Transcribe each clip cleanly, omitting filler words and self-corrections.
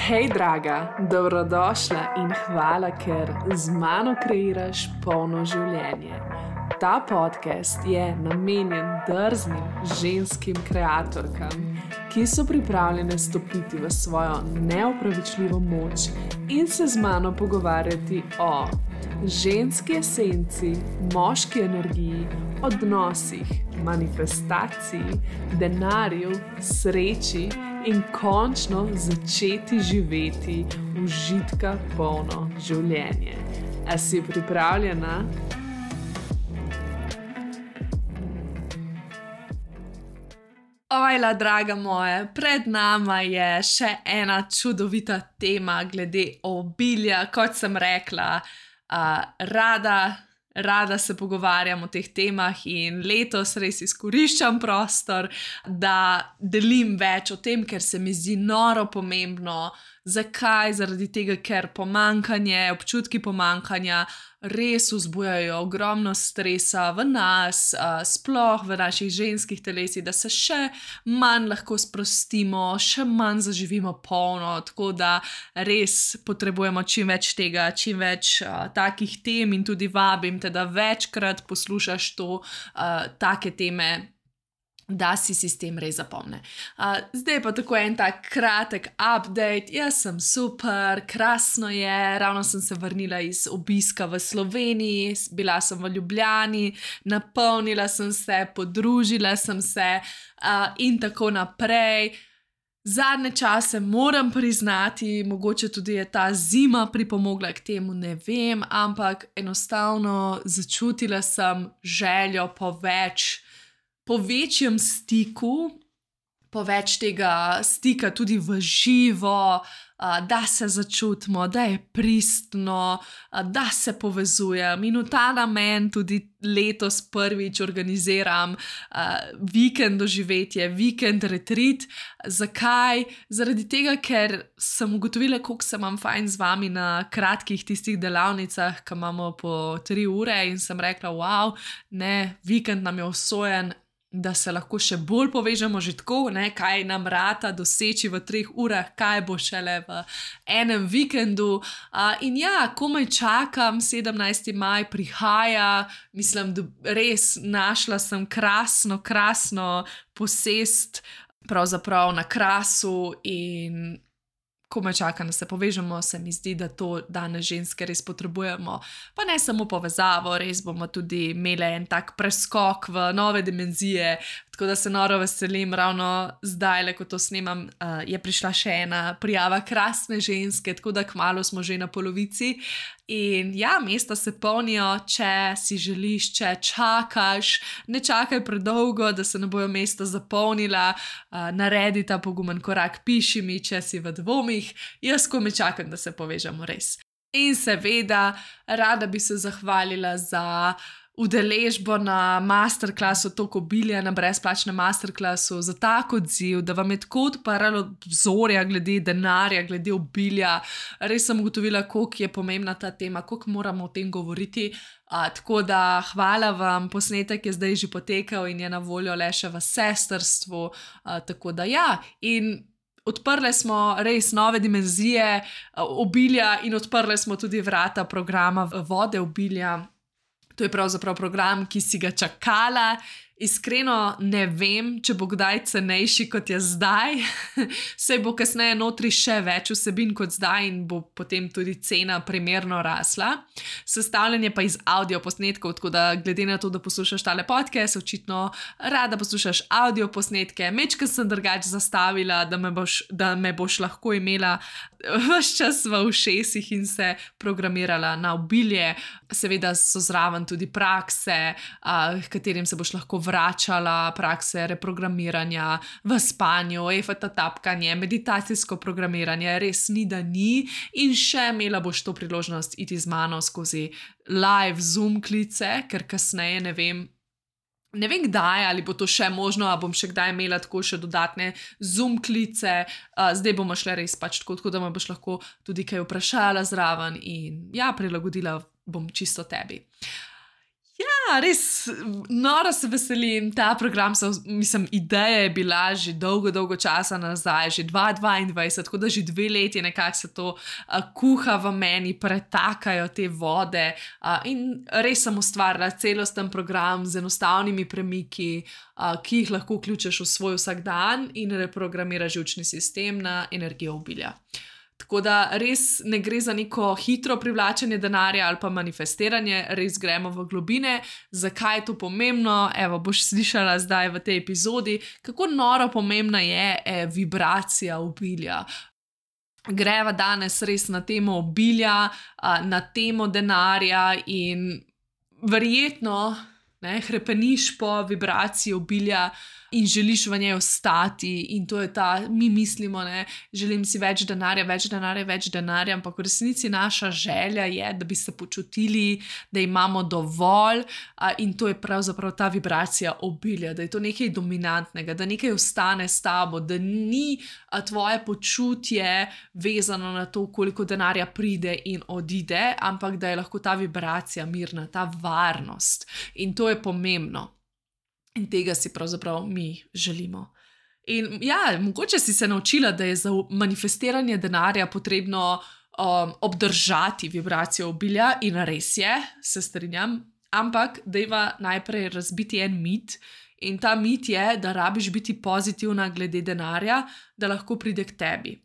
Hej, draga, dobrodošla in hvala, ker z mano kreiraš polno življenje. Ta podcast je namenjen drznim ženskim kreatorkam, ki so pripravljene stopiti v svojo neopravičljivo moč in se z mano pogovarjati o ženski esenci, moški energiji, odnosih, manifestaciji, denarju, sreči in končno začeti živeti užitka polno življenje. A si pripravljena? Ojla, draga moja, pred nama je še ena čudovita tema glede obilja. Kot sem rekla, rada se pogovarjam o teh temah in letos res izkoriščam prostor, da delim več o tem, ker se mi zdi noro pomembno. Zakaj? Zaradi tega, ker občutki pomanjkanja res vzbujajo ogromno stresa v nas, sploh v naših ženskih telesih, da se še manj lahko sprostimo, še manj zaživimo polno, tako da res potrebujemo čim več tega, čim več takih tem in tudi vabim te, da večkrat poslušaš take teme, da si sistem res zapomne. Zdaj pa tako en tak kratek update. Jaz sem super, krasno je, ravno sem se vrnila iz obiska v Sloveniji, bila sem v Ljubljani, napolnila sem se, podružila sem se in tako naprej. Zadnje čase moram priznati, mogoče tudi je ta zima pripomogla k temu, ne vem, ampak enostavno začutila sem željo po večjem stiku, po več tega stika tudi v živo, da se začutimo, da je pristno, da se povezujem. In v ta namen tudi letos prvič organiziram vikend doživetje, vikend retreat. Zakaj? Zaradi tega, ker sem ugotovila, koliko se imam fajn z vami na kratkih tistih delavnicah, ki imamo po 3 ure, in sem rekla, wow, ne, vikend nam je usojen, da se lahko še bolj povežemo že tako, ne, kaj nam rata doseči v 3 urah, kaj bo šele v enem vikendu. In ja, komaj čakam, 17. maj prihaja, mislim, da res našla sem krasno posest pravzaprav na Krasu in komaj čakam, da se povežemo. Se mi zdi, da to danes ženske res potrebujemo. Pa ne samo povezavo, res bomo tudi imeli en tak preskok v nove dimenzije, tako da se noro veselim. Ravno zdaj, ko to snemam, je prišla še ena prijava krasne ženske, tako da kmalu smo že na polovici. In ja, mesta se polnijo, če si želiš, če čakaš, ne čakaj predolgo, da se ne bojo mesta zapolnila, naredi ta pogumen korak, piši mi, če si v dvomih, jaz komaj čakam, da se povežemo res. In seveda, rada bi se zahvalila za udeležbo na masterclassu Tok obilja, na brezplačnem masterclassu, za tak odziv, da vam je tako odprlo obzorja glede denarja, glede obilja. Res sem ugotovila, koliko je pomembna ta tema, koliko moramo o tem govoriti. Tako da hvala vam, posnetek je zdaj že potekal in je na voljo le še v sestrstvu. Tako da ja, in odprli smo res nove dimenzije obilja in odprli smo tudi vrata programa Vode obilja. To je pravzaprav program, ki si ga čakala. Iskreno ne vem, če bo kdaj cenejši, kot je zdaj. Saj bo kasneje notri še več vsebin kot zdaj in bo potem tudi cena primerno rasla. Sestavljen je pa iz audio posnetkov, tako da glede na to, da poslušaš tale podcast, očitno rada poslušaš audio posnetke. Mečkaj sem drugače zastavila, da me boš lahko imela ves čas v ušesih in se programirala na obilje. Seveda so zraven tudi prakse, katerim se boš lahko vračala, prakse reprogramiranja v spanju, EFT tapkanje, meditacijsko programiranje, res ni da ni. In še imela boš to priložnost iti z mano skozi live Zoom klice, ker kasneje ne vem kdaj, ali bo to še možno, ali bom še kdaj imela tako še dodatne Zoom klice. Zdaj bomo šle res pač tako, da me boš lahko tudi kaj vprašala zraven in ja, prilagodila bom čisto tebi. Ja, res noro se veselim. Ta program, ideja je bila že dolgo časa nazaj, že 2022, tako da že 2 leti nekako se to kuha v meni, pretakajo te vode in res sem ustvarila celosten program z enostavnimi premiki, ki jih lahko vključiš v svoj vsakdan in reprogramiraš živčni sistem na energijo obilja. Tako da res ne gre za neko hitro privlačenje denarja ali pa manifestiranje, res gremo v globine, zakaj je to pomembno. Evo, boš slišala zdaj v tej epizodi, kako noro pomembna je vibracija obilja. Greva danes res na temo obilja, na temo denarja in verjetno hrepeniš po vibraciji obilja in želiš v njej ostati in to je mi mislimo, želim si več denarja, ampak v resnici naša želja je, da bi se počutili, da imamo dovolj in to je pravzaprav ta vibracija obilja, da je to nekaj dominantnega, da nekaj ostane s tabo, da ni tvoje počutje vezano na to, koliko denarja pride in odide, ampak da je lahko ta vibracija mirna, ta varnost in to je pomembno. In tega si pravzaprav mi želimo. In ja, mogoče si se naučila, da je za manifestiranje denarja potrebno obdržati vibracijo obilja in res je, se strinjam, ampak dajva najprej razbiti en mit in ta mit je, da rabiš biti pozitivna glede denarja, da lahko pride k tebi.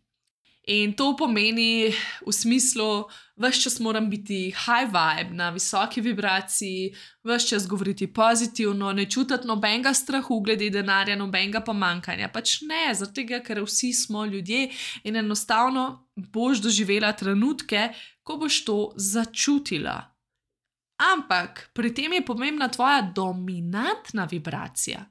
In to pomeni v smislu, ves čas moram biti high vibe, na visoki vibraciji, ves čas govoriti pozitivno, ne čutiti nobenega strahu glede denarja, nobenega pomankanja. Pač ne, zaradi tega, ker vsi smo ljudje in enostavno boš doživela trenutke, ko boš to začutila. Ampak pri tem je pomembna tvoja dominantna vibracija.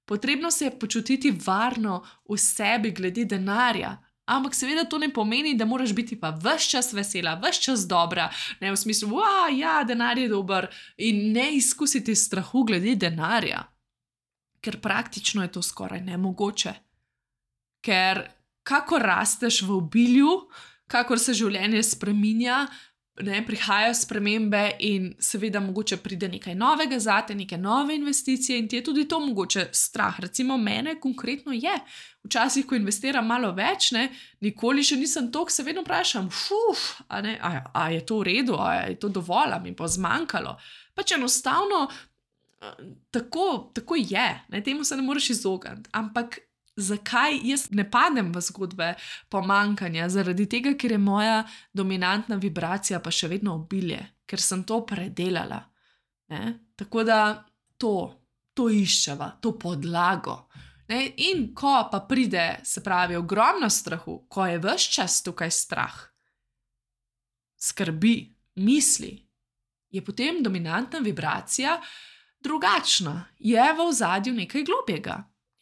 Potrebno se je počutiti varno v sebi glede denarja. Ampak seveda to ne pomeni, da moraš biti pa ves čas vesela, ves čas dobra, ne v smislu, ja, denar je dober in ne izkusiti strahu glede denarja. Ker praktično je to skoraj nemogoče. Ker kakor rasteš v obilju, kakor se življenje spreminja, prihajajo spremembe in seveda mogoče pride nekaj novega zate, neke nove investicije in ti je tudi to mogoče strah. Recimo mene konkretno je. Včasih, ko investiram malo več, nikoli še nisem toliko, se vedno vprašam, a je to v redu, a je to dovolj, a mi bo zmanjkalo. Pač enostavno tako je, temu se ne moreš izogniti, ampak zakaj jaz ne padem v zgodbe pomankanja? Zaradi tega, ker je moja dominantna vibracija pa še vedno obilje, ker sem to predelala. Tako da to iščeva, to podlago. In ko pa pride, se pravi, ogromno strahu, ko je ves čas tukaj strah, skrbi, misli, je potem dominantna vibracija drugačna, je v ozadju nekaj globjega.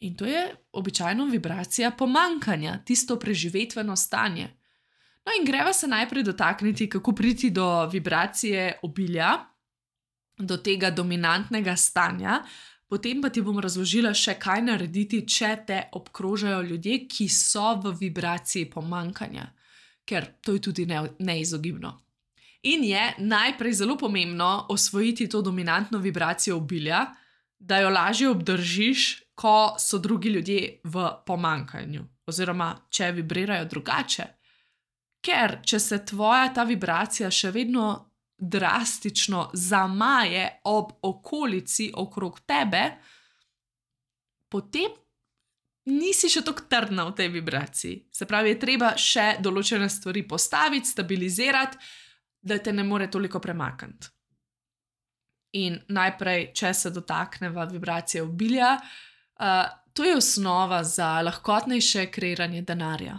In to je običajno vibracija pomankanja, tisto preživetveno stanje. No in greva se najprej dotakniti, kako priti do vibracije obilja, do tega dominantnega stanja, potem pa ti bom razložila še, kaj narediti, če te obkrožajo ljudje, ki so v vibraciji pomankanja, ker to je tudi neizogibno. In je najprej zelo pomembno osvojiti to dominantno vibracijo obilja, da jo lažje obdržiš, ko so drugi ljudje v pomankanju, oziroma če vibrirajo drugače. Ker če se tvoja ta vibracija še vedno drastično zamaje ob okolici okrog tebe, potem nisi še tako trdna v tej vibraciji. Se pravi, je treba še določene stvari postaviti, stabilizirati, da te ne more toliko premakniti. In najprej, če se dotakneva vibracije obilja, to je osnova za lahkotnejše kreiranje denarja.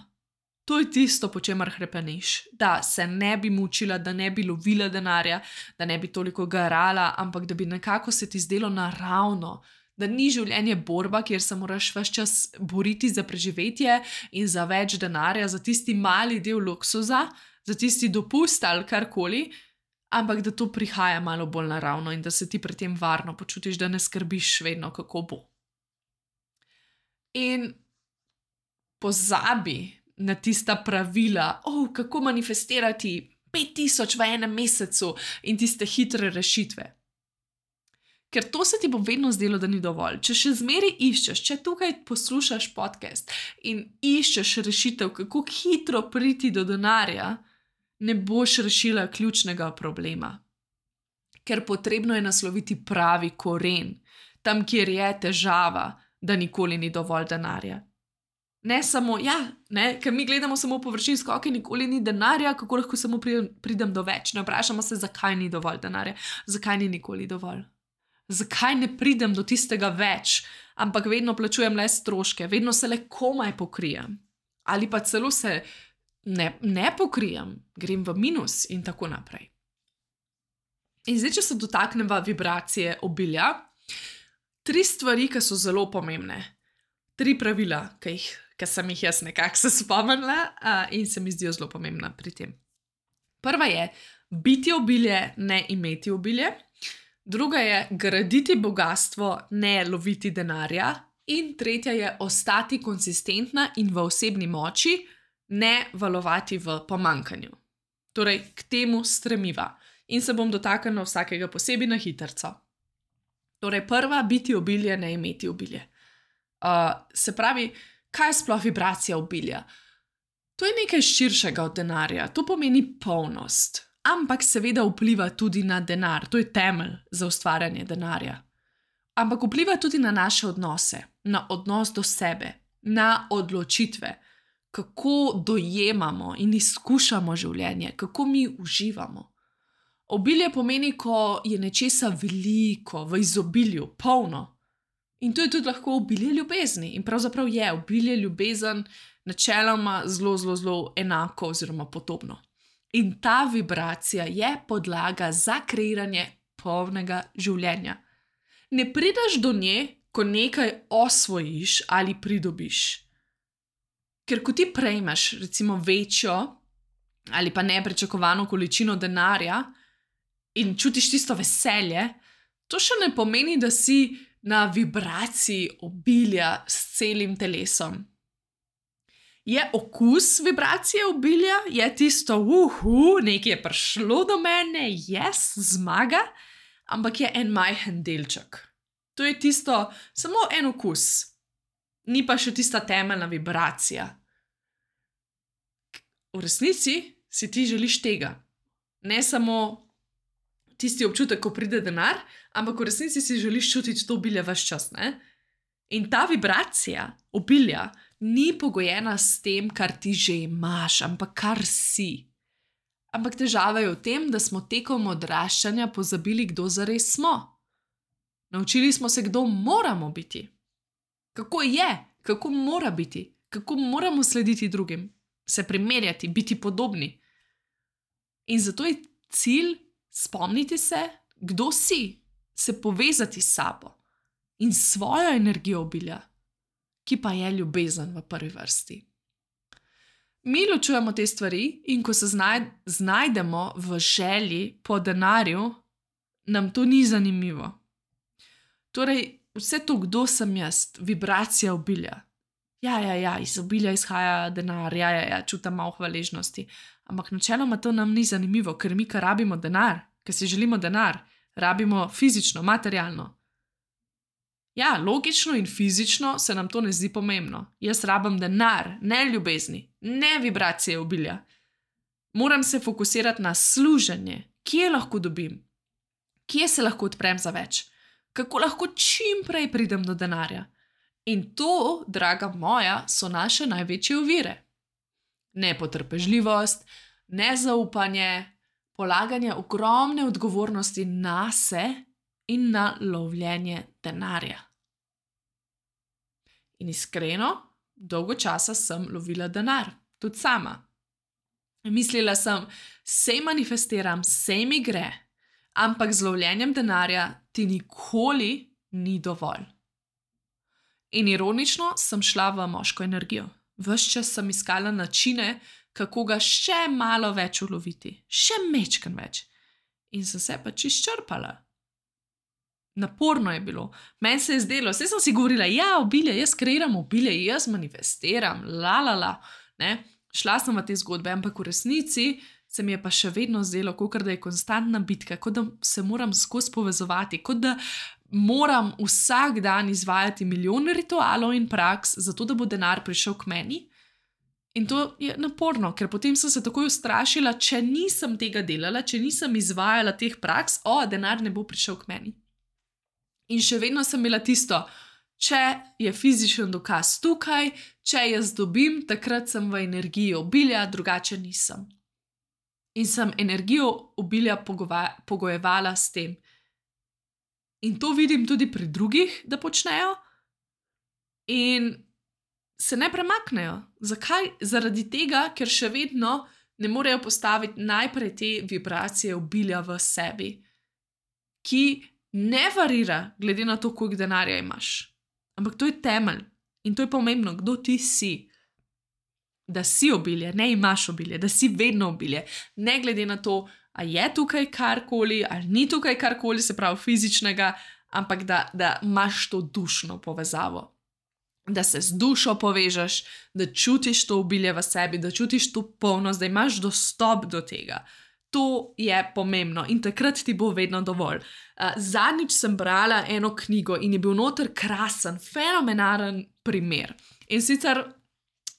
To je tisto, po čemer hrepeniš, da se ne bi mučila, da ne bi lovila denarja, da ne bi toliko garala, ampak da bi nekako se ti zdelo naravno, da ni življenje borba, kjer se moraš ves čas boriti za preživetje in za več denarja, za tisti mali del luksuza, za tisti dopust ali karkoli, ampak da to prihaja malo bolj naravno in da se ti pri tem varno počutiš, da ne skrbiš vedno, kako bo. In pozabi na tista pravila, kako manifestirati 5000 v enem mesecu in tiste hitre rešitve. Ker to se ti bo vedno zdelo, da ni dovolj. Če še zmeraj iščeš, če tukaj poslušaš podcast in iščeš rešitev, kako hitro priti do denarja, ne boš rešila ključnega problema. Ker potrebno je nasloviti pravi koren, tam, kjer je težava, da nikoli ni dovolj denarja. Ne samo, ker mi gledamo samo površinsko, ok, nikoli ni denarja, kako lahko samo pridem do več. Ne vprašamo se, zakaj ni dovolj denarja, zakaj ni nikoli dovolj. Zakaj ne pridem do tistega več, ampak vedno plačujem le stroške, vedno se le komaj pokrijem. Ali pa celo se ne pokrijem, grem v minus in tako naprej. In zdaj, če se dotakneva vibracije obilja, 3 stvari, ki so zelo pomembne. 3 pravila, ki sem jih jaz nekako se spomnila in se mi zdijo zelo pomembna pri tem. Prva je biti obilje, ne imeti obilje. Druga je graditi bogastvo, ne loviti denarja. In tretja je ostati konsistentna in v osebni moči, ne valovati v pomanjkanju. Torej, k temu stremiva. In se bom dotaknila vsakega posebej na hitrco. Torej, prva, biti obilje, ne imeti obilje. Se pravi, kaj je sploh vibracija obilja? To je nekaj širšega od denarja, to pomeni polnost. Ampak seveda vpliva tudi na denar, to je temelj za ustvarjanje denarja. Ampak vpliva tudi na naše odnose, na odnos do sebe, na odločitve, kako dojemamo in izkušamo življenje, kako mi uživamo. Obilje pomeni, ko je nečesa veliko, v izobilju, polno. In to je tudi lahko obilje ljubezni. In pravzaprav je obilje ljubezen načeloma zelo enako oziroma podobno. In ta vibracija je podlaga za kreiranje polnega življenja. Ne prideš do nje, ko nekaj osvojiš ali pridobiš. Ker ko ti prejmeš recimo večjo ali pa nepričakovano količino denarja in čutiš tisto veselje, to še ne pomeni, da si na vibraciji obilja s celim telesom. Je okus vibracije obilja, je tisto, nekaj je prišlo do mene, zmaga, ampak je en majhen delček. To je tisto, samo en okus, ni pa še tista temeljna vibracija. V resnici si ti želiš tega. Ne samo tisti občutek, ko pride denar, ampak v resnici si želiš čutiti to obilje ves čas, ne? In ta vibracija obilja ni pogojena s tem, kar ti že imaš, ampak kar si. Ampak težava je v tem, da smo tekom odraščanja pozabili, kdo zares smo. Naučili smo se, kdo moramo biti. Kako je, kako mora biti, kako moramo slediti drugim, se primerjati, biti podobni. In zato je cilj spomniti se, kdo si, se povezati s sabo in svojo energijo obilja, ki pa je ljubezen v prvi vrsti. Mi ločujemo te stvari in ko se znajdemo v želji po denarju, nam to ni zanimivo. Torej, vse to, kdo sem jaz, vibracija obilja. Iz obilja izhaja denar, čutim malo hvaležnosti. Ampak načeloma to nam ni zanimivo, ker mi, kar rabimo denar, ker si želimo denar, rabimo fizično, materialno. Logično in fizično se nam to ne zdi pomembno. Jaz rabim denar, ne ljubezni, ne vibracije obilja. Moram se fokusirati na služenje, kje lahko dobim, kje se lahko odprem za več, kako lahko čim prej pridem do denarja. In to, draga moja, so naše največje ovire. Nepotrpežljivost, nezaupanje, polaganje ogromne odgovornosti nase in na lovljenje denarja. In iskreno, dolgo časa sem lovila denar, tudi sama. Mislila sem, sej manifestiram, sej mi gre, ampak z lovljenjem denarja ti nikoli ni dovolj. In ironično sem šla v moško energijo. Ves čas sem iskala načine, kako ga še malo več uloviti, še mečken več. In sem se pač izčrpala. Naporno je bilo. Meni se je zdelo, vse sem si govorila, obilje, jaz kreiram obilje, jaz manifestiram, ne. Šla sem v te zgodbe, ampak v resnici se mi je pa še vedno zdelo, kot da je konstantna bitka, kot da se moram skozi povezovati, kot da moram vsak dan izvajati milijon ritualov in praks, zato da bo denar prišel k meni. In to je naporno, ker potem sem se takoj ustrašila, če nisem tega delala, če nisem izvajala teh praks, denar ne bo prišel k meni. In še vedno sem imela tisto, če je fizičen dokaz tukaj, če jaz dobim, takrat sem v energiji obilja, drugače nisem. In sem energijo obilja pogojevala s tem. In to vidim tudi pri drugih, da počnejo. In se ne premaknejo. Zakaj? Zaradi tega, ker še vedno ne morejo postaviti najprej te vibracije obilja v sebi, ki ne varira, glede na to, koliko denarja imaš. Ampak to je temelj. In to je pomembno, kdo ti si. Da si obilje, ne imaš obilje, da si vedno obilje. Ne glede na to, a je tukaj karkoli, ali ni tukaj karkoli, se pravi fizičnega, ampak da imaš to dušno povezavo. Da se z dušo povežeš, da čutiš to obilje v sebi, da čutiš to polnost, da imaš dostop do tega. To je pomembno in takrat ti bo vedno dovolj. Zadnjič sem brala eno knjigo in je bil noter krasen, fenomenalen primer. In sicer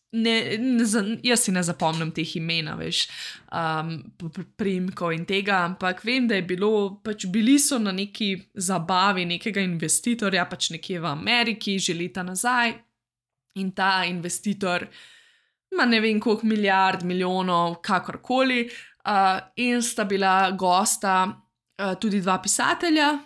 jaz si ne zapomnim teh imen, veš, priimkov in tega, ampak vem, da je bilo, bili so na neki zabavi nekega investitorja, nekje v Ameriki, že leta nazaj, in ta investitor ima ne vem koliko milijard, milijonov, kakorkoli, in sta bila gosta tudi dva pisatelja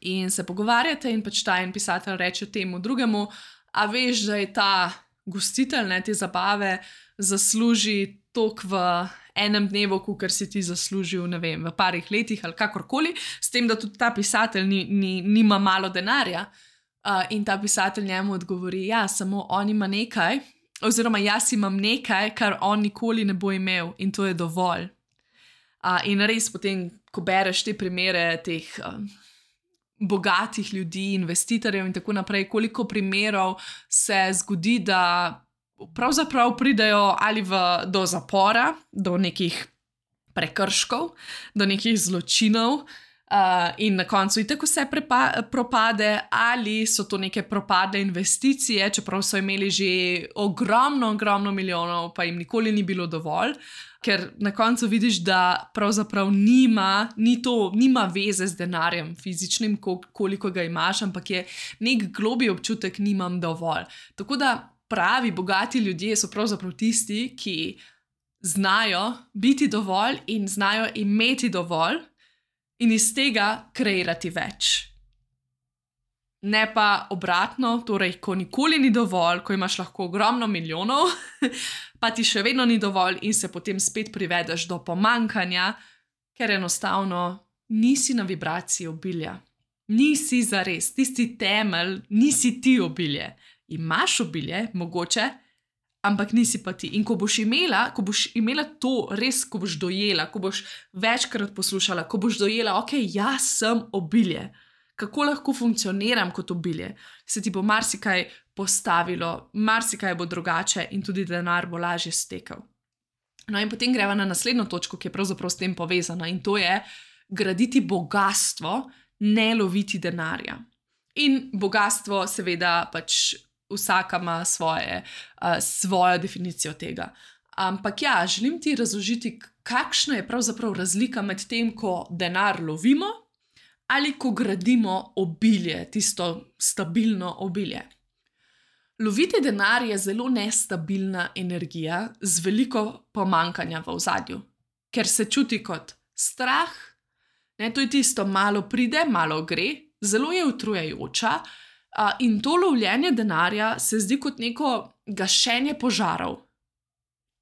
in se pogovarjate in ta en pisatelj reče temu drugemu, a veš, da je ta gostitelj te zabave zasluži toliko v enem dnevu, kakor si ti zaslužil, ne vem, v parih letih ali kakorkoli, s tem, da tudi ta pisatelj nima malo denarja. In ta pisatelj njemu odgovori, ja, samo on ima nekaj, oziroma jaz imam nekaj, kar on nikoli ne bo imel in to je dovolj. In res potem, ko bereš te primere teh bogatih ljudi, investitorjev in tako naprej, koliko primerov se zgodi, da pravzaprav pridejo ali do zapora, do nekih prekrškov, do nekih zločinov in na koncu itak vse propade, ali so to neke propadle investicije, čeprav so imeli že ogromno milijonov, pa jim nikoli ni bilo dovolj. Ker na koncu vidiš, da pravzaprav nima veze z denarjem fizičnim, koliko ga imaš, ampak je nek globlji občutek, nimam dovolj. Tako da pravi, bogati ljudje so pravzaprav tisti, ki znajo biti dovolj in znajo imeti dovolj in iz tega kreirati več. Ne pa obratno, torej, ko nikoli ni dovolj, ko imaš lahko ogromno milijonov, pa ti še vedno ni dovolj in se potem spet privedeš do pomankanja, ker enostavno nisi na vibraciji obilja. Nisi zares, tisti temelj, nisi ti obilje. Imaš obilje, mogoče, ampak nisi pa ti. In ko boš imela to res, ko boš dojela, ko boš večkrat poslušala, ko boš dojela, ok, jaz sem obilje. Kako lahko funkcioniram kot obilje, se ti bo marsikaj postavilo, marsikaj bo drugače in tudi denar bo lažje stekel. No in potem greva na naslednjo točko, ki je pravzaprav s tem povezana in to je graditi bogastvo, ne loviti denarja. In bogastvo seveda vsaka ima svojo definicijo tega. Ampak ja, želim ti razložiti, kakšna je pravzaprav razlika med tem, ko denar lovimo, ali ko gradimo obilje, tisto stabilno obilje. Loviti denar je zelo nestabilna energija z veliko pomankanja v ozadju, ker se čuti kot strah, to je tisto, malo pride, malo gre, zelo je utrujajoča in to lovljenje denarja se zdi kot neko gašenje požarov.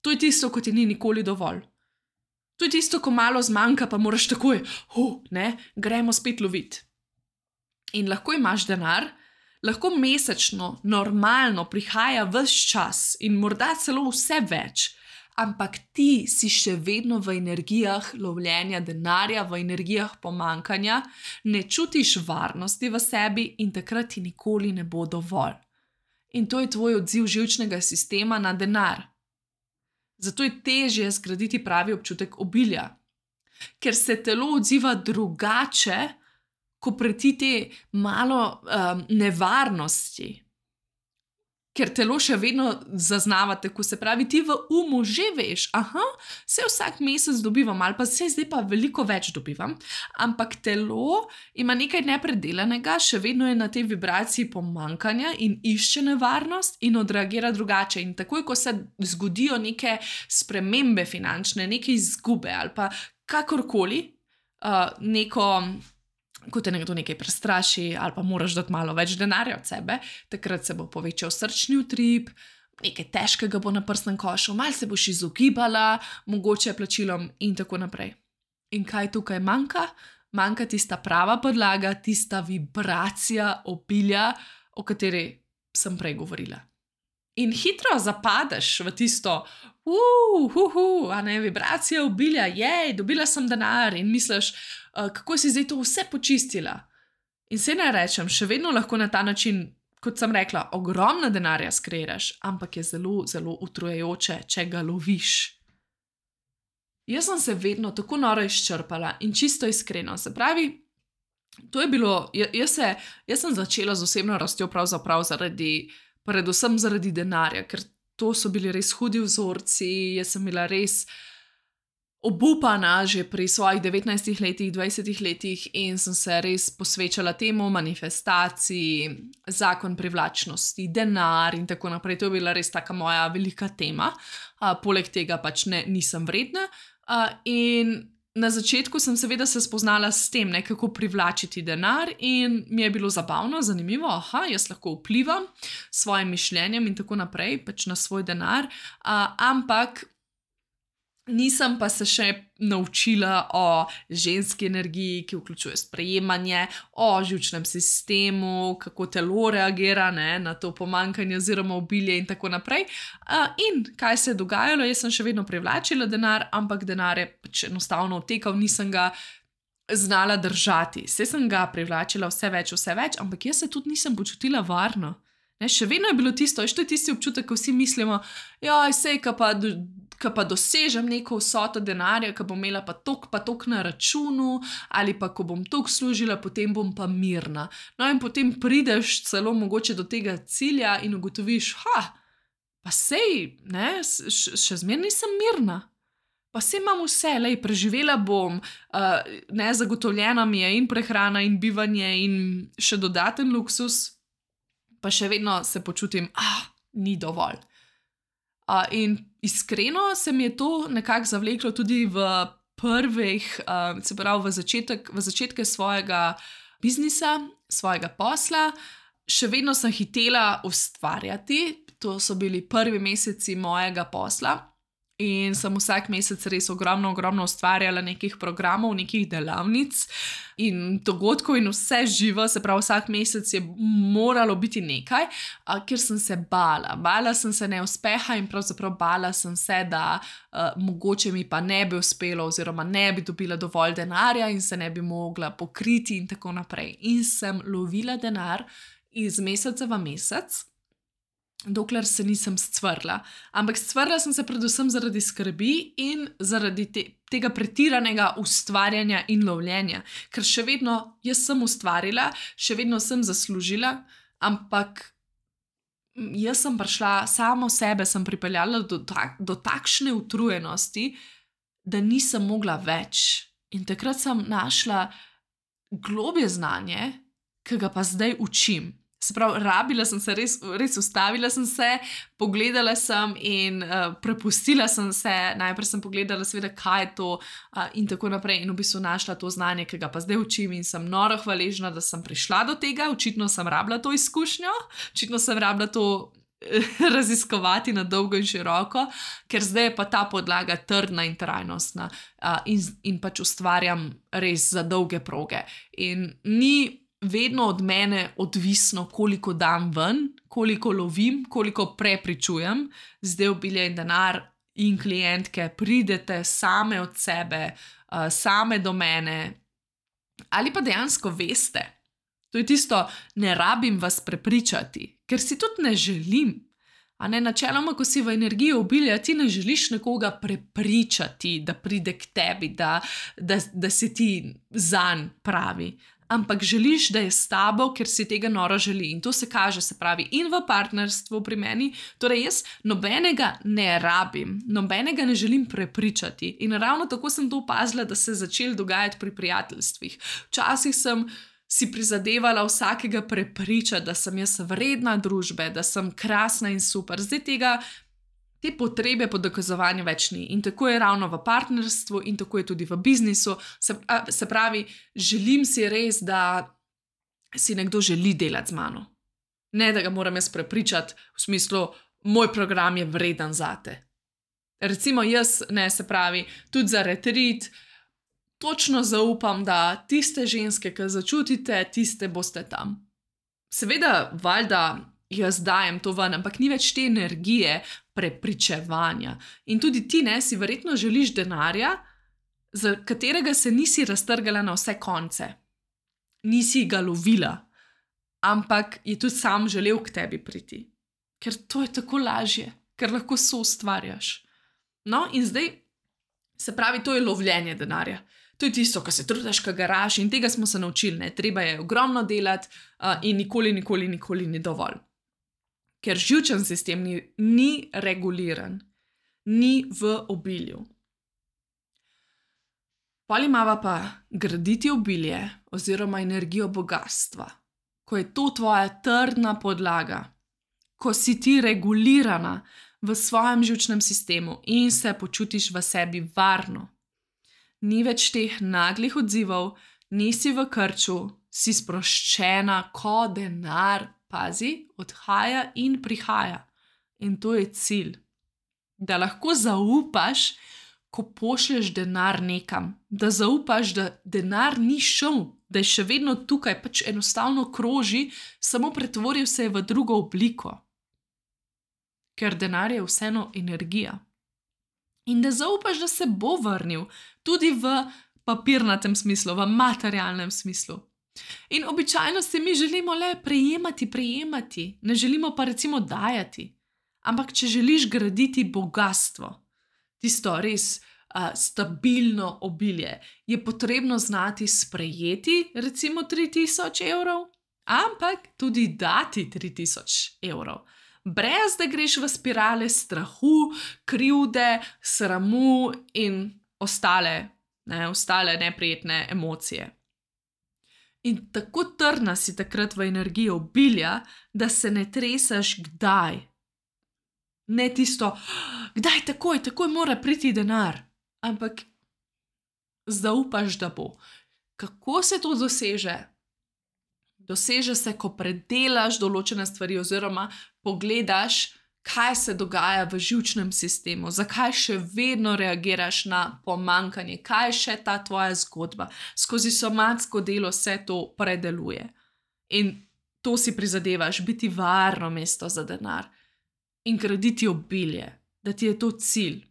To je tisto, ko ti ni nikoli dovolj. To je tisto, ko malo zmanjka, pa moraš takoj, gremo spet loviti. In lahko imaš denar, lahko mesečno, normalno prihaja ves čas in morda celo vse več, ampak ti si še vedno v energijah lovljenja denarja, v energijah pomankanja, ne čutiš varnosti v sebi in takrat ti nikoli ne bo dovolj. In to je tvoj odziv živčnega sistema na denar. Zato je težje zgraditi pravi občutek obilja, ker se telo odziva drugače, ko preti te malo nevarnosti. Ker telo še vedno zaznava tako, se pravi, ti v umu že veš, se vsak mesec dobivam, ali pa se zdaj pa veliko več dobivam, ampak telo ima nekaj nepredelanega, še vedno je na tej vibraciji pomanjkanja in išče nevarnost in odreagira drugače. In takoj, ko se zgodijo neke spremembe finančne, neke izgube ali pa kakorkoli, ko te nekdo nekaj prestraši ali pa moraš dati malo več denarja od sebe, takrat se bo povečal srčni utrip, nekaj težkega bo na prsnem košu, malo se boš izogibala, mogoče plačilom in tako naprej. In kaj tukaj manjka? Manjka tista prava podlaga, tista vibracija obilja, o kateri sem prej govorila. In hitro zapadeš v tisto, vibracija obilja, dobila sem denar in misliš, kako si zdaj to vse počistila. In se ne rečem, še vedno lahko na ta način, kot sem rekla, ogromno denarja skreiraš, ampak je zelo, zelo utrujajoče, če ga loviš. Jaz sem se vedno tako noro izčrpala in čisto iskreno, se pravi, to je bilo, jaz sem začela z osebno rastjo pravzaprav predvsem zaradi denarja, ker to so bili res hudi vzorci, jaz sem bila res obupana že pri svojih 19 letih, 20 letih in sem se res posvečala temu, manifestaciji, zakon privlačnosti, denar in tako naprej. To je bila res taka moja velika tema. Poleg tega pač nisem vredna. In na začetku sem seveda se spoznala s tem, kako privlačiti denar in mi je bilo zabavno, zanimivo, jaz lahko vplivam s svojim mišljenjem in tako naprej, pač na svoj denar, ampak nisem pa se še naučila o ženski energiji, ki vključuje sprejemanje, o živčnem sistemu, kako telo reagira na to pomanjkanje oziroma obilje in tako naprej. In kaj se je dogajalo, jaz sem še vedno privlačila denar, ampak denar je pač enostavno odtekal, nisem ga znala držati. Saj sem ga privlačila vse več, ampak jaz se tudi nisem počutila varno. Še vedno je bilo tisto, to je tisti občutek, ko vsi mislimo, sej, ko pa dosežem neko vsoto denarja, ko bom imela pa tok na računu, ali pa ko bom toliko služila, potem bom pa mirna. No in potem prideš celo mogoče do tega cilja in ugotoviš, pa sej, še zmeraj nisem mirna. Pa sej imam vse, preživela bom, zagotovljena mi je in prehrana in bivanje in še dodaten luksus, pa še vedno se počutim, ni dovolj. In iskreno se mi je to nekako zavleklo tudi v prvih, se pravi v začetke svojega biznisa, svojega posla. Še vedno sem hitela ustvarjati, to so bili prvi meseci mojega posla in sem vsak mesec res ogromno ustvarjala nekih programov, nekih delavnic in dogodkov in vse živo, se pravi vsak mesec je moralo biti nekaj, ker sem se bala. Bala sem se neuspeha in pravzaprav bala sem se, da mogoče mi pa ne bi uspelo oziroma ne bi dobila dovolj denarja in se ne bi mogla pokriti in tako naprej. In sem lovila denar iz meseca v mesec, dokler se nisem scvrla. Ampak scvrla sem se predvsem zaradi skrbi in zaradi tega pretiranega ustvarjanja in lovljenja. Ker še vedno jaz sem ustvarila, še vedno sem zaslužila, ampak jaz sem prišla, samo sebe sem pripeljala do takšne utrujenosti, da nisem mogla več. In takrat sem našla globje znanje, ki ga pa zdaj učim. Se pravi, rabila sem se, res ustavila sem se, pogledala sem in prepustila sem se. Najprej sem pogledala, seveda, kaj je to in tako naprej. In v bistvu našla to znanje, ki ga pa zdaj učim in sem noro hvaležna, da sem prišla do tega. Očitno sem rabila to izkušnjo, očitno sem rabila to raziskovati na dolgo in široko, ker zdaj je pa ta podlaga trdna in trajnostna in pač ustvarjam res za dolge proge. In ni vedno od mene odvisno, koliko dam ven, koliko lovim, koliko prepričujem. Zdaj obilje in denar in klientke pridete same od sebe, same do mene. Ali pa dejansko veste. To je tisto, ne rabim vas prepričati, ker si tudi ne želim. Načeloma, ko si v energiji obilja, ti ne želiš nekoga prepričati, da pride k tebi, da si ti zanj pravi. Ampak želiš, da je s tabo, ker si tega noro želi. In to se kaže, se pravi, in v partnerstvu pri meni. Torej, jaz nobenega ne rabim, nobenega ne želim prepričati. In ravno tako sem to opazila, da se je začelo dogajati pri prijateljstvih. Včasih sem si prizadevala vsakega prepričati, da sem jaz vredna družbe, da sem krasna in super. Zdaj te potrebe po dokazovanju več ni. In tako je ravno v partnerstvu in tako je tudi v biznisu. Se pravi, želim si res, da si nekdo želi delati z mano. Ne, da ga moram jaz prepričati v smislu, moj program je vreden zate. Recimo jaz, se pravi, tudi za retreat, točno zaupam, da tiste ženske, ki začutite, tiste boste tam. Seveda, valjda, jaz dajem to ven, ampak ni več te energije prepričevanja. In tudi ti, si verjetno želiš denarja, za katerega se nisi raztrgala na vse konce. Nisi ga lovila, ampak je tudi sam želel k tebi priti. Ker to je tako lažje, ker lahko soustvarjaš. No, in zdaj, se pravi, to je lovljenje denarja. To je tisto, ko se trudiš, ko garaš, in tega smo se naučili. Treba je ogromno delati in nikoli ni dovolj. Ker živčen sistem ni reguliran, ni v obilju. Pol imava pa graditi obilje oziroma energijo bogastva, ko je to tvoja trdna podlaga, ko si ti regulirana v svojem živčnem sistemu in se počutiš v sebi varno. Ni več teh naglih odzivov, nisi v krču, si sproščena, ko denar, pazi, odhaja in prihaja. In to je cilj. Da lahko zaupaš, ko pošlješ denar nekam. Da zaupaš, da denar ni šel, da je še vedno tukaj, pač enostavno kroži, samo pretvoril se je v drugo obliko. Ker denar je vseeno energija. In da zaupaš, da se bo vrnil, tudi v papirnatem smislu, v materialnem smislu. In običajno se mi želimo le prejemati, ne želimo pa recimo dajati. Ampak če želiš graditi bogastvo, tisto res stabilno obilje, je potrebno znati sprejeti recimo 3000 evrov, ampak tudi dati 3000 evrov. Brez da greš v spirale strahu, krivde, sramu in ostale neprijetne emocije. In tako trdna si takrat v energiji obilja, da se ne treseš kdaj. Ne tisto, kdaj takoj mora priti denar, ampak zaupaš, da bo. Kako se to doseže? Doseže se, ko predelaš določene stvari oziroma pogledaš, kaj se dogaja v živčnem sistemu, zakaj še vedno reagiraš na pomanjkanje, kaj je še ta tvoja zgodba. Skozi somatsko delo se to predeluje. In to si prizadevaš, biti varno mesto za denar in graditi obilje, da ti je to cilj.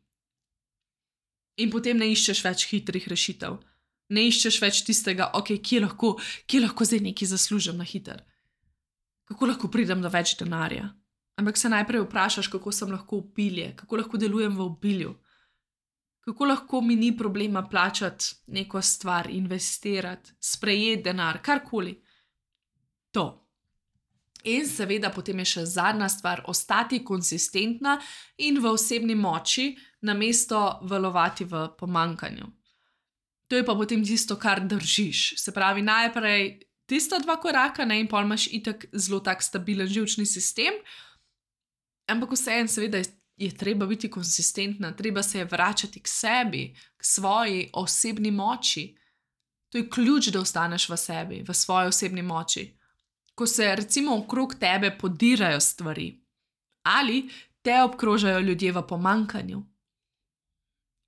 In potem ne iščeš več hitrih rešitev. Ne iščeš več tistega, kje lahko zdaj nekaj zaslužim na hiter. Kako lahko pridem do več denarja? Ampak se najprej vprašaš, kako sem lahko obilje, kako lahko delujem v obilju, kako lahko mi ni problema plačati neko stvar, investirati, sprejeti denar, karkoli. To. In seveda potem je še zadnja stvar, ostati konsistentna in v osebni moči, namesto valovati v pomanjkanju. To je pa potem tisto, kar držiš. Se pravi, najprej tista 2 koraka, in pol imaš itak zelo tak stabilen živčni sistem, ampak vseeno seveda je treba biti konsistentna, treba se je vračati k sebi, k svoji osebni moči. To je ključ, da ostaneš v sebi, v svoji osebni moči. Ko se recimo okrog tebe podirajo stvari ali te obkrožajo ljudje v pomanjkanju.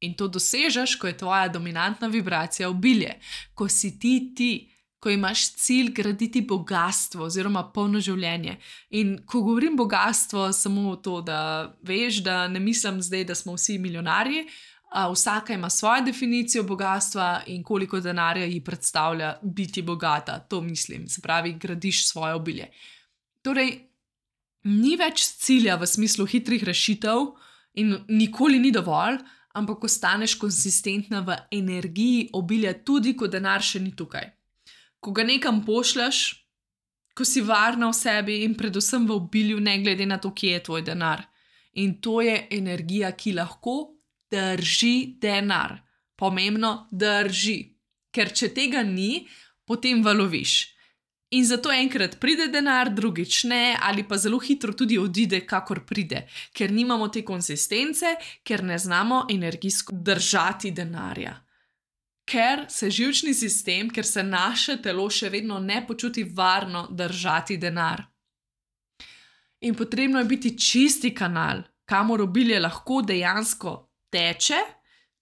In to dosežeš, ko je tvoja dominantna vibracija obilje, ko si ti, ko imaš cilj graditi bogastvo oziroma polno življenje. In ko govorim bogastvo, samo to, da veš, da ne mislim zdaj, da smo vsi milijonarji, vsaka ima svojo definicijo bogastva in koliko denarja ji predstavlja biti bogata, to mislim, se pravi, gradiš svoje obilje. Torej, Ni več cilja v smislu hitrih rešitev in nikoli ni dovolj, ampak ostaneš konsistentna v energiji obilja, tudi ko denar še ni tukaj. Ko ga nekam pošljaš, ko si varna v sebi in predvsem v obilju, ne glede na to, kje je tvoj denar. In to je energija, ki lahko drži denar. Pomembno, drži. Ker če tega ni, potem valoviš. In zato enkrat pride denar, drugič ne, ali pa zelo hitro tudi odide, kakor pride. Ker nimamo te konsistence, ker ne znamo energijsko držati denarja. Ker se živčni sistem, ker se naše telo še vedno ne počuti varno držati denar. In potrebno je biti čisti kanal, kamor obilje lahko dejansko teče,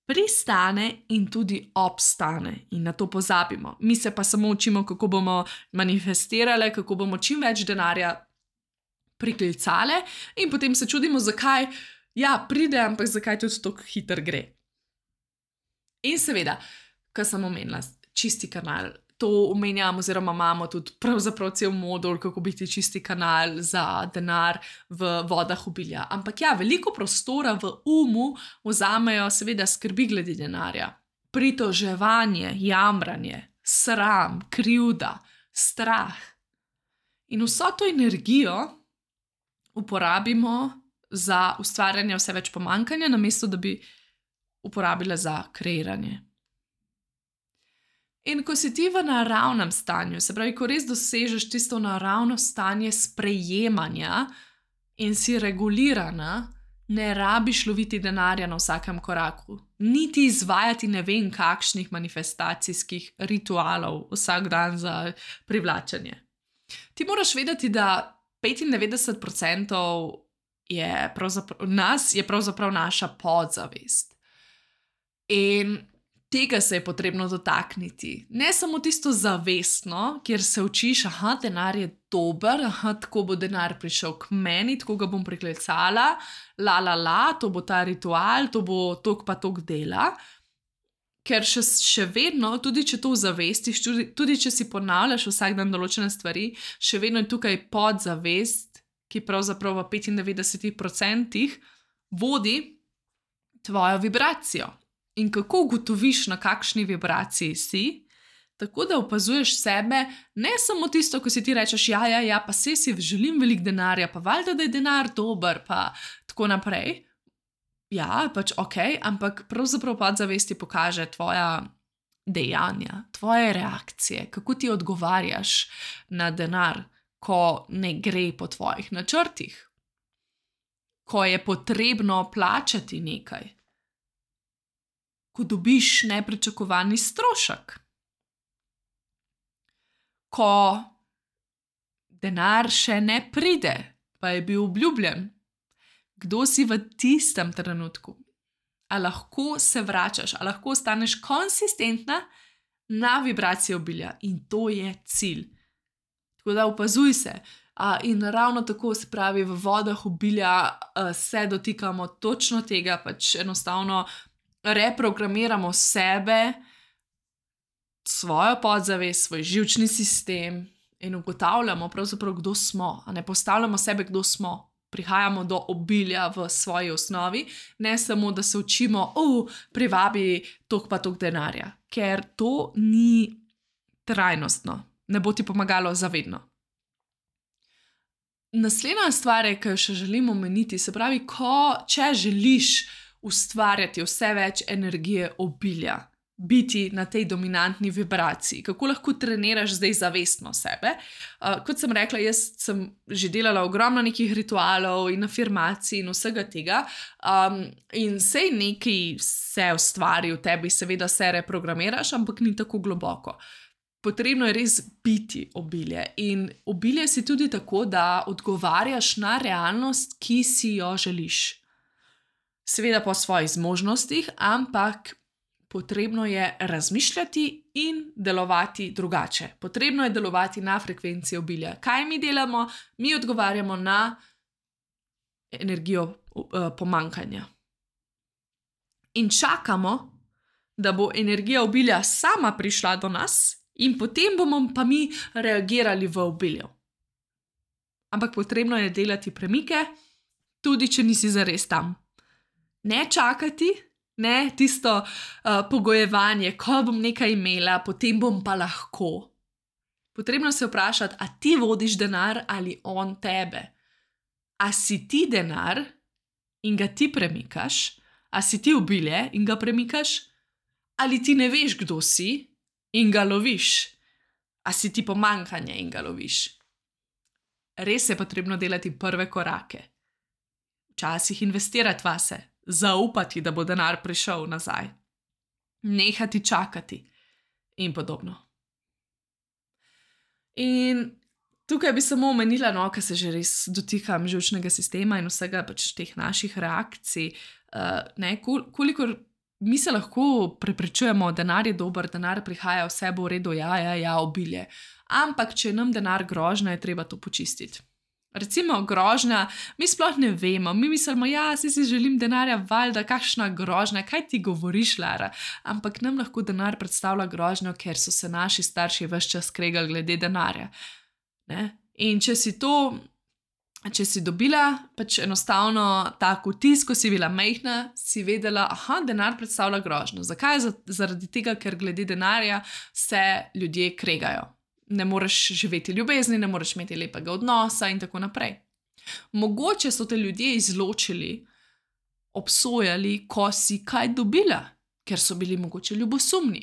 pristane in tudi obstane. In na to pozabimo. Mi se pa samo učimo, kako bomo manifestirali, kako bomo čim več denarja priklicali in potem se čudimo, zakaj pride, ampak zakaj tudi tako hitro gre. In seveda, kar sem omenila, čisti kanal. To omenjam oziroma imamo tudi pravzaprav cel modul, kako biti čisti kanal za denar v vodah obilja. Ampak veliko prostora v umu vzamejo seveda skrbi glede denarja. Pritoževanje, jamranje, sram, krivda, strah. In vso to energijo uporabimo za ustvarjanje vse več pomanjkanja, namesto da bi uporabila za kreiranje. In ko si ti v naravnem stanju, se pravi, ko res dosežeš tisto naravno stanje sprejemanja in si regulirana, ne rabiš loviti denarja na vsakem koraku, niti izvajati ne vem kakšnih manifestacijskih ritualov vsak dan za privlačenje. Ti moraš vedeti, da 95% nas je pravzaprav naša podzavest. In tega se je potrebno dotakniti. Ne samo tisto zavestno, kjer se učiš, denar je dober, tako bo denar prišel k meni, tako ga bom priklicala, to bo ta ritual, to bo tok pa tok dela. Ker še vedno, tudi če to zavestiš, tudi če si ponavljaš vsak dan določene stvari, še vedno je tukaj podzavest, ki pravzaprav v 95% vodi tvojo vibracijo. In kako ugotoviš, na kakšni vibraciji si, tako da opazuješ sebe, ne samo tisto, ko si ti rečeš, pa si želim veliko denarja, pa valjda, da je denar dober, pa tako naprej. Pač ampak pravzaprav podzavesti pokaže tvoja dejanja, tvoje reakcije, kako ti odgovarjaš na denar, ko ne gre po tvojih načrtih, ko je potrebno plačati nekaj. Ko dobiš nepričakovani strošek, ko denar še ne pride, pa je bil obljubljen. Kdo si v tistem trenutku? A lahko se vračaš, a lahko ostaneš konsistentna na vibracijo obilja in to je cilj. Tako da opazuj se. In ravno tako se pravi, v vodah obilja se dotikamo točno tega, pač enostavno reprogramiramo sebe, svojo podzavest, svoj živčni sistem in ugotavljamo pravzaprav, kdo smo. A ne postavljamo sebe, kdo smo. Prihajamo do obilja v svoji osnovi, ne samo, da se učimo, privabi tok pa tok denarja, ker to ni trajnostno, ne bo ti pomagalo zavedno. Naslednja stvar, ki jo še želim omeniti, se pravi, če želiš ustvarjati vse več energije obilja, biti na tej dominantni vibraciji, kako lahko treniraš zdaj zavestno sebe. Kot sem rekla, jaz sem že delala ogromno nekih ritualov in afirmacij in vsega tega, in sej nekaj se ustvari v tebi, seveda se reprogramiraš, ampak ni tako globoko. Potrebno je res biti obilje in obilje si tudi tako, da odgovarjaš na realnost, ki si jo želiš. Seveda po svojih zmožnostih, ampak potrebno je razmišljati in delovati drugače. Potrebno je delovati na frekvenciji obilja. Kaj mi delamo? Mi odgovarjamo na energijo pomanjkanja. In čakamo, da bo energija obilja sama prišla do nas in potem bomo pa mi reagirali v obilju. ampak potrebno je delati premike, tudi če nisi zares tam. Ne čakati, ne tisto pogojevanje, ko bom nekaj imela, potem bom pa lahko. Potrebno se vprašati, a ti vodiš denar ali on tebe. A si ti denar in ga ti premikaš, a si ti obilje in ga premikaš, ali ti ne veš, kdo si in ga loviš, a si ti pomanjkanje in ga loviš. Res je potrebno delati prve korake. Včasih investirati vase, zaupati, da bo denar prišel nazaj, nehati čakati in podobno. In tukaj bi samo omenila, ker se že res dotikam živčnega sistema in vsega pač teh naših reakcij, kolikor mi se lahko prepričujemo, denar je dober, denar prihaja, vse bo v redu, ja, obilje. Ampak, če nam denar grožnja, je treba to počistiti. Recimo grožnja, mi sploh ne vemo, mi mislimo, si želim denarja, valjda, kakšna grožnja, kaj ti govoriš, Lara? Ampak nam lahko denar predstavlja grožnjo, ker so se naši starši ves čas kregali glede denarja. In če si dobila pač enostavno tako vtis, ko si bila majhna, si vedela, denar predstavlja grožnjo. Zakaj? Zaradi tega, ker glede denarja se ljudje kregajo. Ne moreš živeti ljubezni, ne moreš imeti lepega odnosa in tako naprej. Mogoče so te ljudje izločili, obsojali, ko si kaj dobila, ker so bili mogoče ljubosumni.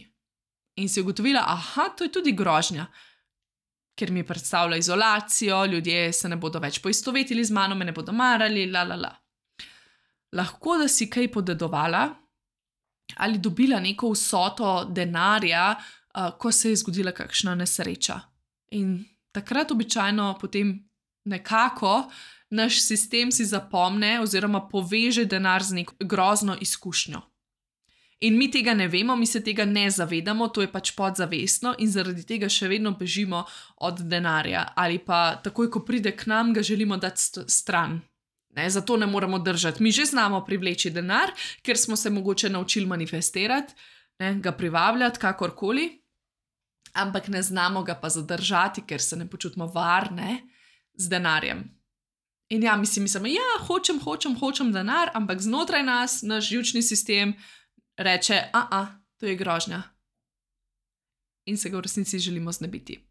In si ugotovila, to je tudi grožnja, ker mi predstavlja izolacijo, ljudje se ne bodo več poistovetili z mano, me ne bodo marali, Lahko, da si kaj podedovala ali dobila neko vsoto denarja, ko se je zgodila kakšna nesreča. In takrat običajno potem nekako naš sistem si zapomne oziroma poveže denar z neko grozno izkušnjo. In mi tega ne vemo, mi se tega ne zavedamo, to je pač podzavestno in zaradi tega še vedno bežimo od denarja. Ali pa takoj, ko pride k nam, ga želimo dati stran. Zato ne moremo držati. Mi že znamo privleči denar, ker smo se mogoče naučili manifestirati, ga privabljati, kakorkoli, ampak ne znamo ga pa zadržati, ker se ne počutimo varne z denarjem. In mi si mislimo, hočem denar, ampak znotraj nas, naš živčni sistem reče, to je grožnja. In se ga v resnici želimo znebiti.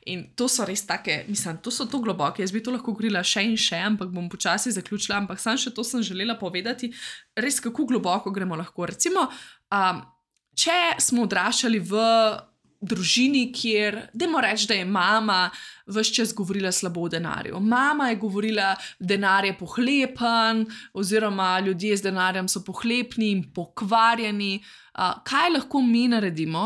In to so res take, to so to globoke, jaz bi to lahko govorila še in še, ampak bom počasi zaključila, ampak samo še to sem želela povedati, res kako globoko gremo lahko. Recimo, če smo odraščali v družini, kjer, dajmo reči, da je mama ves čas govorila slabo o denarju. Mama je govorila, denar je pohlepen, oziroma ljudje z denarjem so pohlepni in pokvarjeni. Kaj lahko mi naredimo?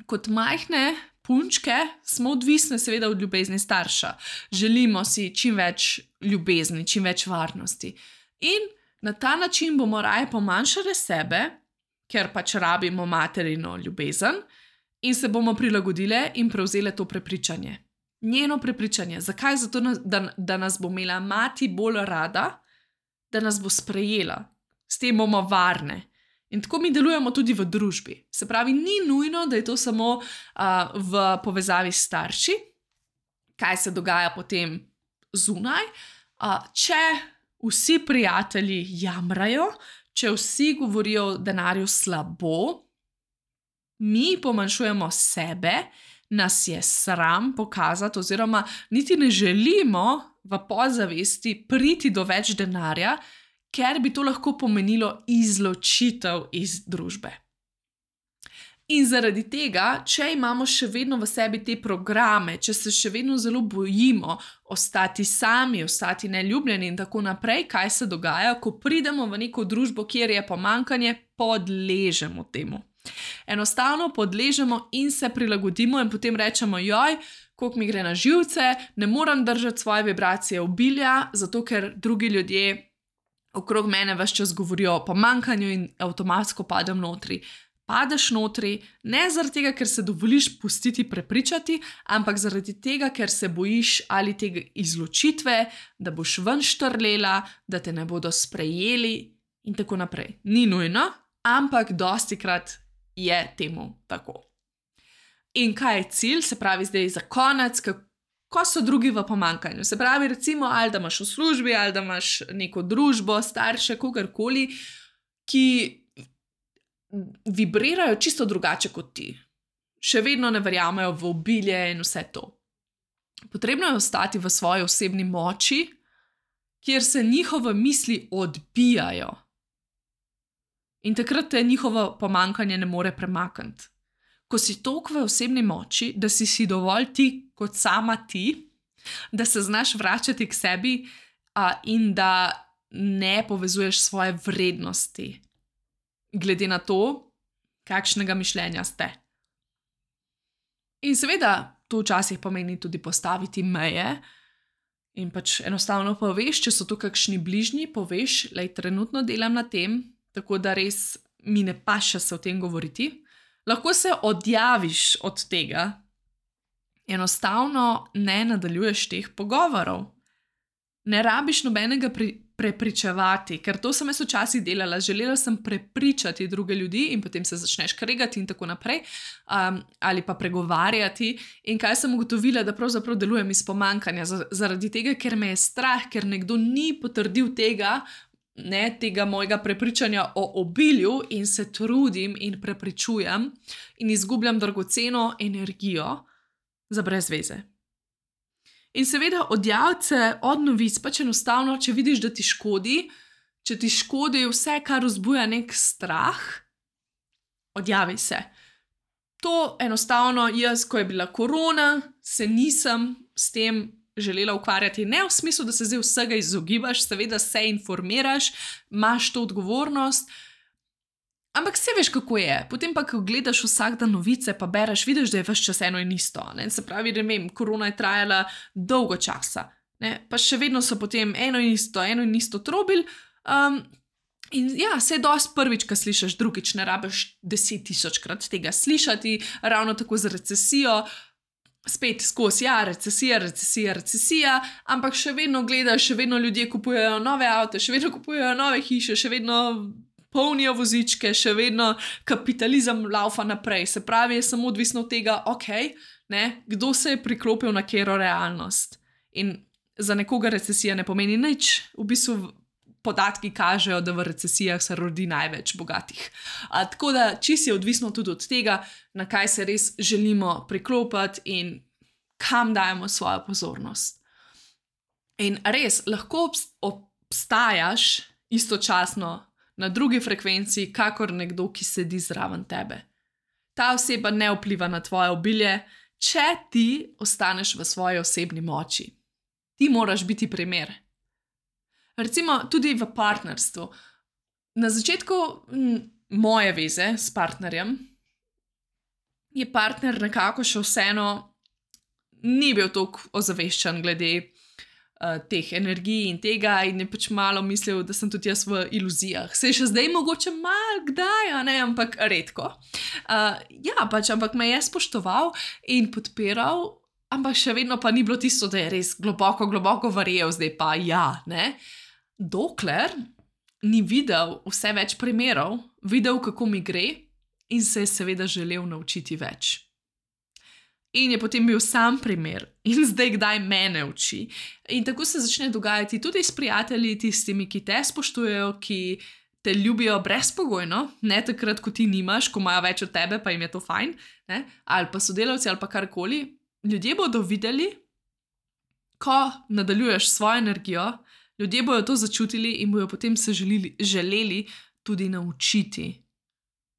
Kot majhne punčke smo odvisne seveda od ljubezni starša. Želimo si čim več ljubezni, čim več varnosti. In na ta način bomo raje pomanjšale sebe, ker pač rabimo materino ljubezen, in se bomo prilagodile in prevzele to prepričanje. Njeno prepričanje. Zakaj? Zato, da nas bo imela mati bolj rada, da nas bo sprejela. S tem bomo varne. In tako mi delujemo tudi v družbi. Se pravi, ni nujno, da je to samo v povezavi s starši, kaj se dogaja potem zunaj. Če vsi prijatelji jamrajo, če vsi govorijo o denarju slabo, mi pomanjšujemo sebe, nas je sram pokazati, oziroma niti ne želimo v podzavesti priti do več denarja, ker bi to lahko pomenilo izločitev iz družbe. In zaradi tega, če imamo še vedno v sebi te programe, če se še vedno zelo bojimo ostati sami, ostati neljubljeni in tako naprej, kaj se dogaja, ko pridemo v neko družbo, kjer je pomanjkanje, podležemo temu. Enostavno podležemo in se prilagodimo in potem rečemo, koliko mi gre na živce, ne morem držati svoje vibracije obilja, zato ker drugi ljudje okrog mene ves čas govorijo o pomanjkanju in avtomatsko padem notri. Padeš notri, ne zaradi tega, ker se dovoliš pustiti prepričati, ampak zaradi tega, ker se bojiš ali tega izločitve, da boš ven štrlela, da te ne bodo sprejeli in tako naprej. Ni nujno, ampak dostikrat je temu tako. In kaj je cilj? Se pravi zdaj za konec, ko so drugi v pomanjkanju. Se pravi, recimo, ali da imaš v službi, ali da imaš neko družbo, starše, kogarkoli, ki vibrirajo čisto drugače kot ti. Še vedno ne verjamejo v obilje in vse to. Potrebno je ostati v svoji osebni moči, kjer se njihove misli odbijajo. In takrat te njihovo pomanjkanje ne more premakniti. Ko si toliko v osebni moči, da si dovolj ti kot sama ti, da se znaš vračati k sebi in da ne povezuješ svoje vrednosti, glede na to, kakšnega mišljenja ste. In seveda, to včasih pomeni tudi postaviti meje in pač enostavno poveš, če so to kakšni bližnji, poveš, lej, trenutno delam na tem, tako da res mi ne paše se o tem govoriti. Lahko se odjaviš od tega, enostavno ne nadaljuješ teh pogovorov. Ne rabiš nobenega prepričevati, ker to sem jaz včasih delala. Želela sem prepričati druge ljudi in potem se začneš kregati in tako naprej, ali pa pregovarjati. In kaj sem ugotovila, da pravzaprav delujem iz pomanjkanja, zaradi tega, ker me je strah, ker nekdo ni potrdil tega mojega prepričanja o obilju in se trudim in prepričujem in izgubljam dragoceno energijo za brez veze. In seveda odjaviti se od novic, pač enostavno, če vidiš, da ti škodi, če ti škodi vse, kar vzbuja nek strah, odjavi se. To enostavno jaz, ko je bila korona, se nisem s tem želela ukvarjati. Ne v smislu, da se zdaj vsega izogibaš, seveda se informiraš, imaš to odgovornost, ampak se veš, kako je. Potem pa, ko gledaš vsak dan novice, pa bereš, vidiš, da je ves čas eno in isto. Ne? Se pravi, ne vem, korona je trajala dolgo časa, ne? Pa še vedno so potem eno in isto trobili. In ja, se je dosti prvič, ko slišiš, drugič ne rabiš 10.000-krat tega slišati, ravno tako z recesijo. Spet skozi, ja, recesija, ampak še vedno gledaš, še vedno ljudje kupujejo nove avte, še vedno kupujejo nove hiše, še vedno polnijo vozičke, še vedno kapitalizem laufa naprej. Se pravi, je samo odvisno od tega, kdo se je priklopil na katero realnost. In za nekoga recesija ne pomeni nič, v bistvu podatki kažejo, da v recesijah se rodi največ bogatih. Tako da čisto je odvisno tudi od tega, na kaj se res želimo priklopiti in kam dajemo svojo pozornost. In res, lahko obstajaš istočasno na drugi frekvenci, kakor nekdo, ki sedi zraven tebe. Ta oseba ne vpliva na tvoje obilje, če ti ostaneš v svoji osebni moči. Ti moraš biti primer. Recimo tudi v partnerstvu. Na začetku moje veze s partnerjem je partner nekako še vseeno ni bil toliko ozaveščen glede teh energij in tega in je pač malo mislil, da sem tudi jaz v iluzijah. Se je še zdaj mogoče malo kdaj, ampak redko. Ampak me je spoštoval in podpiral, ampak še vedno pa ni bilo tisto, da je res globoko verjel, zdaj pa ne. Dokler ni videl vse več primerov, videl, kako mi gre in se je seveda želel naučiti več. In je potem bil sam primer in zdaj kdaj mene uči. In tako se začne dogajati tudi s prijatelji, tistimi, ki te spoštujejo, ki te ljubijo brezpogojno, ne takrat, ko ti nimaš, ko imajo več od tebe, pa jim je to fajn, ne? Ali pa sodelavci ali pa karkoli. Ljudje bodo videli, ko nadaljuješ svojo energijo, ljudje bodo to začutili in bodo potem se želeli tudi naučiti.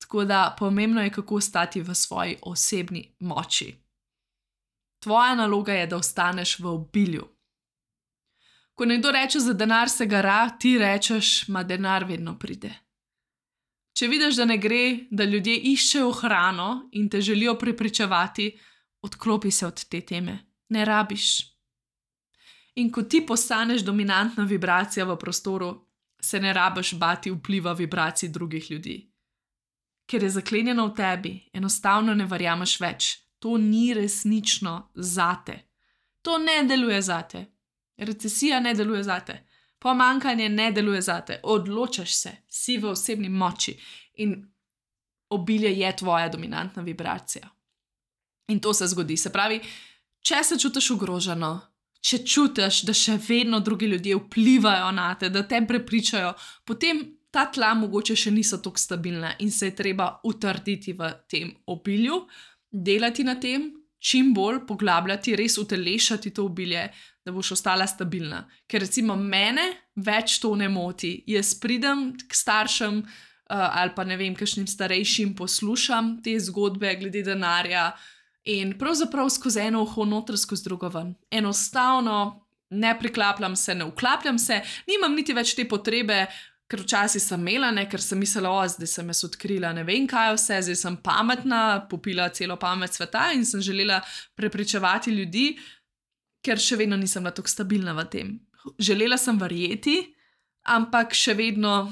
Tako da pomembno je, kako stati v svoji osebni moči. Tvoja naloga je, da ostaneš v obilju. Ko nekdo reče, za denar se gara, ti rečeš, ma denar vedno pride. Če vidiš, da ne gre, da ljudje iščejo hrano in te želijo prepričevati, odklopi se od te teme. Ne rabiš. In ko ti postaneš dominantna vibracija v prostoru, se ne rabiš bati vpliva vibracij drugih ljudi. Ker je zaklenjeno v tebi, enostavno ne verjameš več. To ni resnično zate. To ne deluje zate. Recesija ne deluje zate. Pomanjkanje ne deluje zate. Odločaš se, si v osebni moči in obilje je tvoja dominantna vibracija. In to se zgodi. Se pravi, če se čutiš ogroženo, če čutiš, da še vedno drugi ljudje vplivajo na te, da te prepričajo, potem ta tla mogoče še niso tako stabilna in se je treba utrditi v tem obilju, delati na tem, čim bolj poglabljati, res utelešati to obilje, da boš ostala stabilna. Ker recimo mene več to ne moti. Jaz pridem k staršem ali pa ne vem, kakšnim starejšim poslušam te zgodbe glede denarja in pravzaprav skozi eno uho noter, skozi drugo ven. Enostavno ne priklapljam se, ne vklapljam se, nimam niti več te potrebe, ker včasih sem imela, ker sem mislila, zdaj sem jaz odkrila ne vem kaj vse, zdaj sem pametna, popila celo pamet sveta in sem želela prepričevati ljudi, ker še vedno nisem bila tako stabilna v tem. Želela sem verjeti, ampak še vedno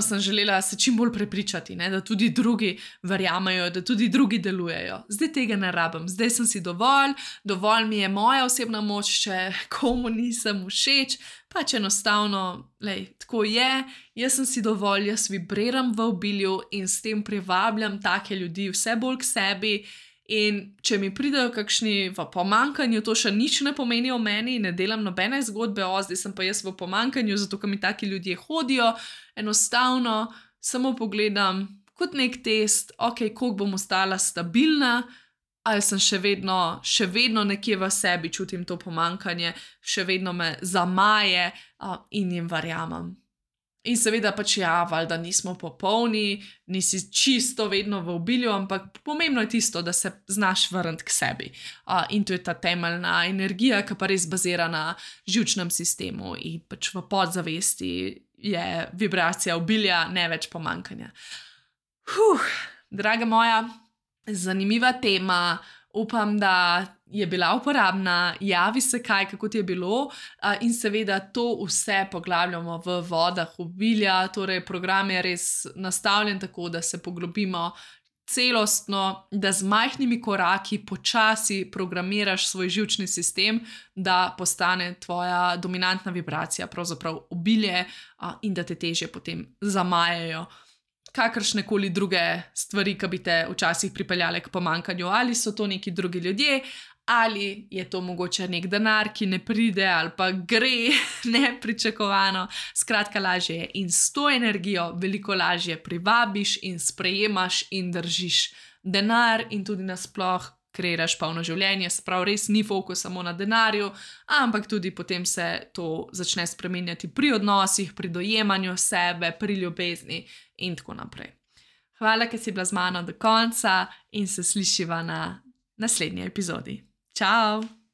sem želela se čim bolj prepričati, da tudi drugi verjamejo, da tudi drugi delujejo. Zdaj tega ne rabim, zdaj sem si dovolj mi je moja osebna moč, če komu nisem všeč, pač enostavno, tako je, jaz sem si dovolj, jaz vibriram v obilju in s tem privabljam take ljudi vse bolj k sebi. In če mi pridejo kakšni v pomanjkanju, to še nič ne pomeni o meni, ne delam nobene zgodbe, zdaj sem pa jaz v pomanjkanju, zato ker mi taki ljudje hodijo, enostavno samo pogledam kot nek test, koliko bom ostala stabilna, ali sem še vedno nekje v sebi čutim to pomanjkanje, še vedno me zamaje in jim verjamem. In seveda pač valjda nismo popolni, nisi čisto vedno v obilju, ampak pomembno je tisto, da se znaš vrniti k sebi. In to je ta temeljna energija, ki pa res bazira na živčnem sistemu in pač v podzavesti je vibracija obilja, ne več pomanjkanja. Draga moja, zanimiva tema. Upam, da je bila uporabna, javi se kako ti je bilo in seveda to vse poglabljamo v vodah obilja, torej program je res nastavljen tako, da se poglobimo celostno, da z majhnimi koraki počasi programiraš svoj živčni sistem, da postane tvoja dominantna vibracija, pravzaprav obilje in da te težje potem zamajajo kakršnekoli druge stvari, ki bi te včasih pripeljale k pomanjkanju, ali so to neki drugi ljudje, ali je to mogoče nek denar, ki ne pride ali pa gre nepričakovano. Skratka, lažje je in s to energijo veliko lažje privabiš in sprejemaš in držiš denar in tudi nasploh kreiraš polno življenje, sprav res ni fokus samo na denarju, ampak tudi potem se to začne spremenjati pri odnosih, pri dojemanju sebe, pri ljubezni in tako naprej. Hvala, ker si bila z mano do konca in se slišiva na naslednji epizodi. Čau!